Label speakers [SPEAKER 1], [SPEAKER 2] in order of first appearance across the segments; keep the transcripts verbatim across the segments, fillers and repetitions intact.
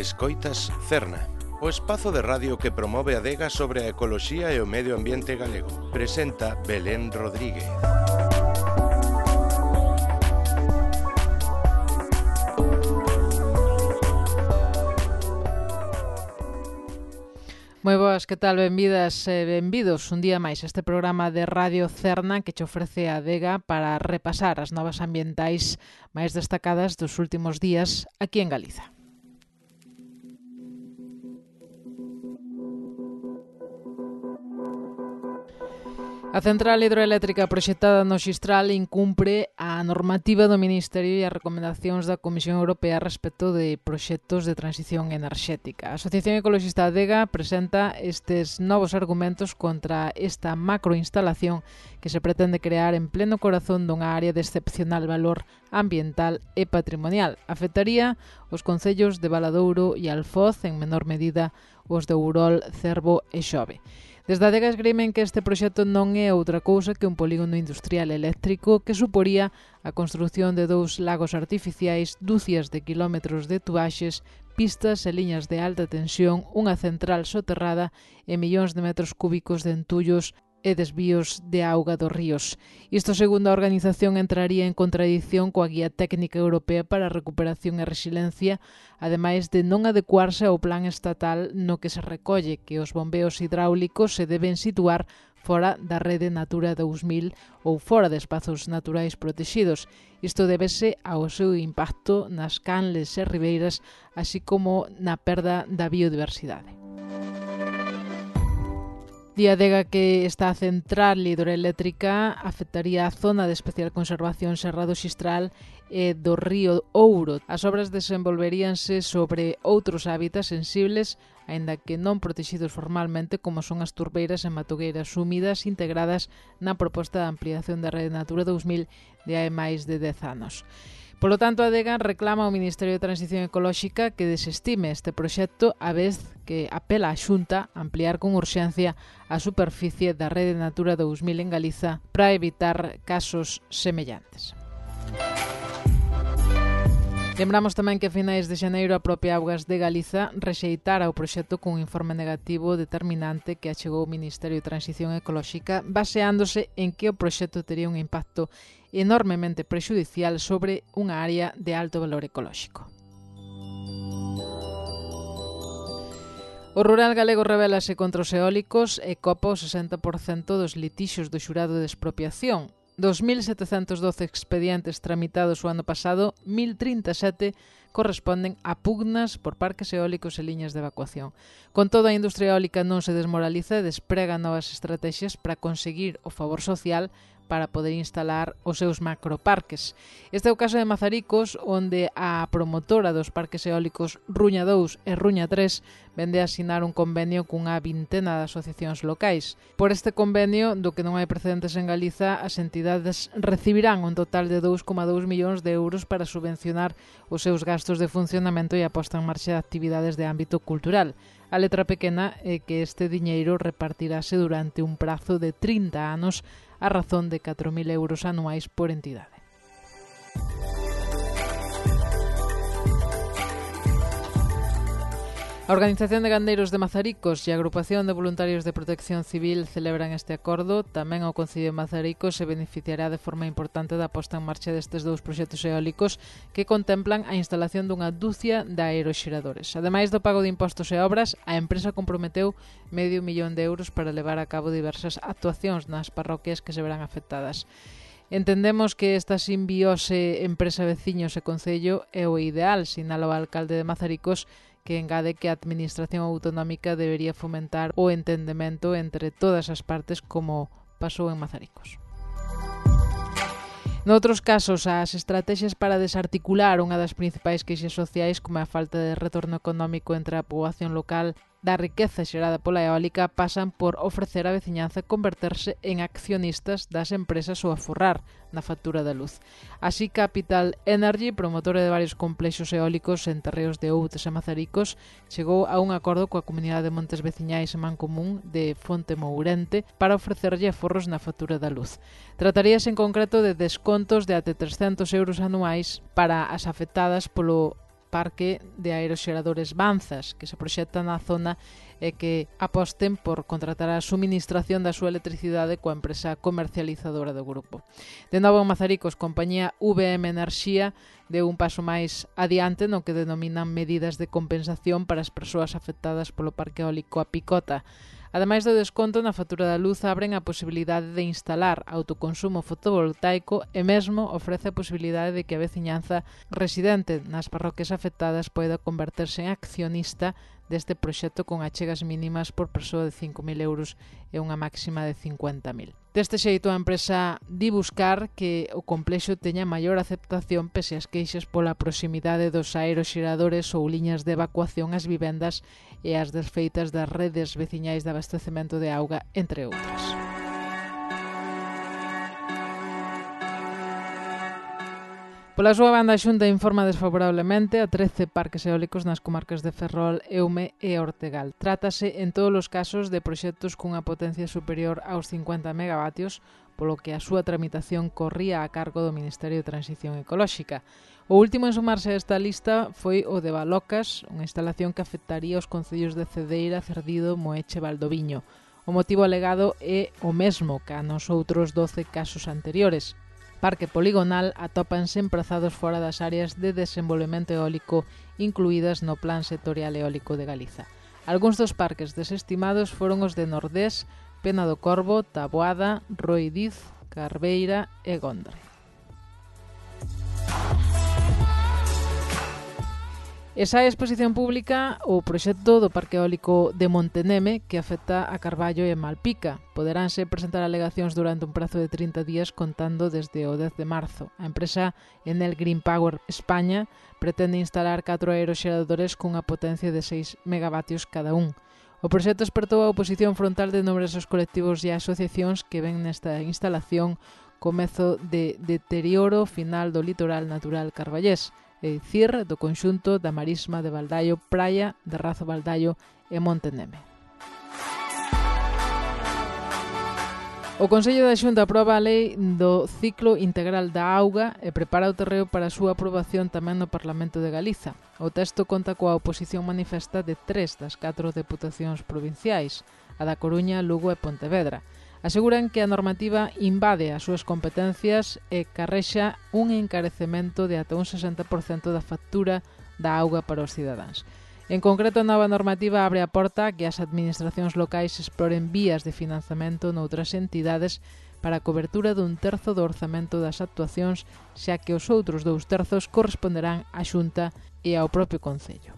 [SPEAKER 1] Escoitas Cerna, o espazo de radio que promove a adega sobre a ecoloxía e o medio ambiente galego. Presenta Belén Rodríguez.
[SPEAKER 2] Moi boas, que tal? Benvidas e benvidos un día máis a este programa de Radio Cerna que che ofrece a adega para repasar as novas ambientais máis destacadas dos últimos días aquí en Galiza. A central hidroeléctrica proxectada no Xistral incumpre a normativa do Ministerio e as recomendacións da Comisión Europea respecto de proxectos de transición enerxética. A Asociación Ecologista Adega presenta estes novos argumentos contra esta macroinstalación que se pretende crear en pleno corazón dunha área de excepcional valor ambiental e patrimonial. Afectaría os concellos de Valadouro e Alfoz, en menor medida os de Ourol, Cervo e Xove. Desde a adega esgrimen que este proxecto non é outra cousa que un polígono industrial eléctrico que suporía a construción de dous lagos artificiais, dúcias de quilómetros de tubaxes, pistas e liñas de alta tensión, unha central soterrada e millóns de metros cúbicos de entullos e desvíos de auga dos ríos. Isto, segundo a organización, entraría en contradición coa Guía Técnica Europea para a Recuperación e Resiliencia, ademais de non adecuarse ao plan estatal no que se recolle que os bombeos hidráulicos se deben situar fora da rede Natura dous mil ou fora de espazos naturais protexidos. Isto débese ao seu impacto nas canles e ribeiras, así como na perda da biodiversidade. Di a adega que esta central hidroeléctrica afectaría a zona de especial conservación Serra do Xistral e do río Ouro. As obras desenvolveríanse sobre outros hábitats sensibles, aínda que non protexidos formalmente, como son as turbeiras e matogueiras húmidas integradas na proposta de ampliación da rede Natura dous mil de hai máis de dez anos. Polo tanto, a adega reclama ao Ministerio de Transición Ecolóxica que desestime este proxecto, a vez que apela á Xunta a ampliar con urxencia a superficie da rede Natura dous mil en Galiza para evitar casos semellantes. Lembramos tamén que a finais de xaneiro a propia Augas de Galiza rexeitara o proxecto cun informe negativo determinante que achegou o Ministerio de Transición Ecolóxica baseándose en que o proxecto tería un impacto enormemente prexudicial sobre unha área de alto valor ecolóxico. O rural galego rebélase contra os eólicos e copa o sesenta por cento dos litixos do xurado de expropiación. dos mil setecentos doce expedientes tramitados o ano pasado, mil trinta e sete corresponden a pugnas por parques eólicos e liñas de evacuación. Con todo, a industria eólica non se desmoraliza e desprega novas estrategias para conseguir o favor social para poder instalar os seus macroparques. Este é o caso de Mazaricos, onde a promotora dos parques eólicos Ruña dous e Ruña tres vende a asinar un convenio cunha vintena de asociacións locais. Por este convenio, do que non hai precedentes en Galiza, as entidades recibirán un total de dous coma dous millóns de euros para subvencionar os seus gastos de funcionamento e a posta en marcha de actividades de ámbito cultural. A letra pequena é que este diñeiro repartirase durante un prazo de trinta anos a razón de catro mil euros anuais por entidade. A Organización de Gandeiros de Mazaricos e a Agrupación de Voluntarios de Protección Civil celebran este acordo. Tamén o Concello de Mazaricos se beneficiará de forma importante da posta en marcha destes dous proxectos eólicos que contemplan a instalación dunha dúcia de aeroxeradores. Ademais do pago de impostos e obras, a empresa comprometeu medio millón de euros para levar a cabo diversas actuacións nas parroquias que se verán afectadas. Entendemos que esta simbiose empresa, veciños e concello é o ideal, sinala o alcalde de Mazaricos, que engade que a Administración Autonómica debería fomentar o entendemento entre todas as partes como pasou en Mazaricos. Noutros casos, as estrategias para desarticular unha das principais queixas sociais, como a falta de retorno económico entre a poboación local da riqueza xerada pola eólica, pasan por ofrecer á veciñanza converterse en accionistas das empresas ou aforrar na factura da luz. Así, Capital Energy, promotora de varios complexos eólicos en terreos de Outes e Mazaricos, chegou a un acordo coa comunidade de montes veciñais en Mancomún de Fonte Mourente para ofrecerlle aforros na factura da luz. Trataríase en concreto de descontos de até trescentos euros anuais para as afectadas polo parque de aeroxeradores Banzas, que se proxecta na zona e que aposten por contratar a suministración da súa electricidade coa empresa comercializadora do grupo. De novo en Mazaricos, compañía V M Enerxía deu un paso máis adiante no que denominan medidas de compensación para as persoas afectadas polo parque eólico A Picota. Ademais do desconto na factura da luz, abren a posibilidade de instalar autoconsumo fotovoltaico e mesmo ofrece a posibilidade de que a veciñanza residente nas parroquias afectadas poida converterse en accionista deste proxecto con achegas mínimas por persoa de cinco mil euros e unha máxima de cincuenta mil. Deste xeito, a empresa di buscar que o complexo teña maior aceptación pese ás queixas pola proximidade dos aeroxeradores ou liñas de evacuación ás vivendas e as desfeitas das redes veciñais de abastecemento de auga, entre outras. Pola súa banda, a Xunta informa desfavorablemente a trece parques eólicos nas comarcas de Ferrol, Eume e Ortegal. Trátase en todos os casos de proxectos cunha potencia superior aos cincuenta megavatios, polo que a súa tramitación corría a cargo do Ministerio de Transición Ecolóxica. O último en sumarse a esta lista foi o de Balocas, unha instalación que afectaría os concellos de Cedeira, Cerdido, Moeche e Valdoviño. O motivo alegado é o mesmo que nos outros doce casos anteriores. Parque poligonal atópanse emprazados fora das áreas de desenvolvemento eólico incluídas no Plan Sectorial Eólico de Galiza. Algúns dos parques desestimados foron os de Nordés, Pena do Corvo, Taboada, Roidiz, Carbeira e Gondre. Esa é a exposición pública o proxecto do Parque Eólico de Monteneme que afecta a Carballo e Malpica. Poderánse presentar alegacións durante un prazo de trinta días contando desde o dez de marzo. A empresa Enel Green Power España pretende instalar catro aeroxeradores cunha potencia de seis megavatios cada un. O proxecto espertou a oposición frontal de numerosos colectivos e asociacións que ven nesta instalación comezo de deterioro final do litoral natural carballés, é dicir, do conxunto da marisma de Baldaio, Praia, de Razo Baldaio e Monteneme. O Consello da Xunta aproba a lei do ciclo integral da auga e prepara o terreo para a súa aprobación tamén no Parlamento de Galiza. O texto conta coa oposición manifesta de tres das catro deputacións provinciais, a da Coruña, Lugo e Pontevedra. Aseguran que a normativa invade as súas competencias e carrexa un encarecemento de ata un sesenta por cento da factura da auga para os cidadáns. En concreto, a nova normativa abre a porta a que as administracións locais exploren vías de financiamento noutras entidades para a cobertura dun terzo do orzamento das actuacións, xa que os outros dous terzos corresponderán á Xunta e ao propio Concello.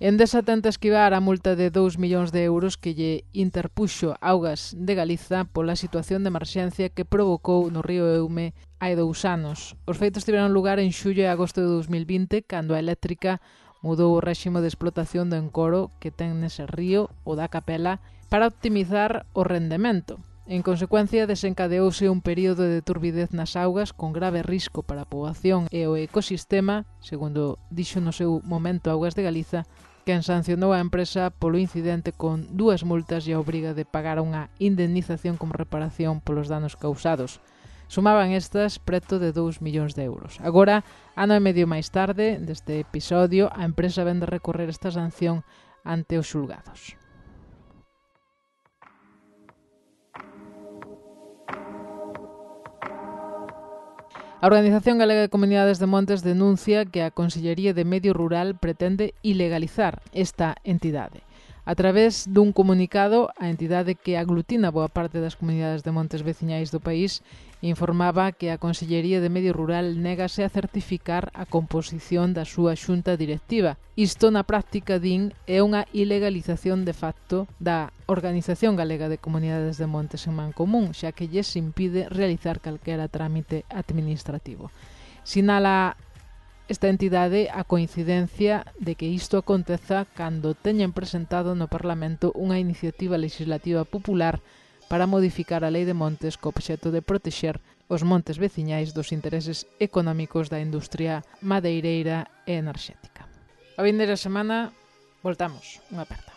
[SPEAKER 2] Endesa tenta esquivar a multa de dous millóns de euros que lle interpuxo Augas de Galiza pola situación de emerxencia que provocou no río Eume hai dous anos. Os feitos tiveron lugar en xullo e agosto de dous mil vinte, cando a eléctrica mudou o réximo de explotación do encoro que ten nese río, o da Capela, para optimizar o rendemento. En consecuencia, desencadeouse un período de turbidez nas augas con grave risco para a poboación e o ecosistema, segundo dixo no seu momento Augas de Galiza, quen sancionou a empresa polo incidente con dúas multas e a obriga de pagar unha indemnización como reparación polos danos causados. Sumaban estas preto de dous millóns de euros. Agora, ano e medio máis tarde deste episodio, a empresa vende recorrer esta sanción ante os xulgados. A Organización Galega de Comunidades de Montes denuncia que a Consellería de Medio Rural pretende ilegalizar esta entidade. A través dun comunicado, a entidade que aglutina boa parte das comunidades de montes veciñais do país informaba que a Consellería de Medio Rural négase a certificar a composición da súa xunta directiva. Isto na práctica, din, é unha ilegalización de facto da Organización Galega de Comunidades de Montes en Mancomún, xa que lles impide realizar calquera trámite administrativo. Sinala esta entidade a coincidencia de que isto aconteza cando teñen presentado no Parlamento unha iniciativa legislativa popular para modificar a Lei de Montes co obxecto de protexer os montes veciñais dos intereses económicos da industria madeireira e enerxética. A vindeira semana voltamos. Unha aperta.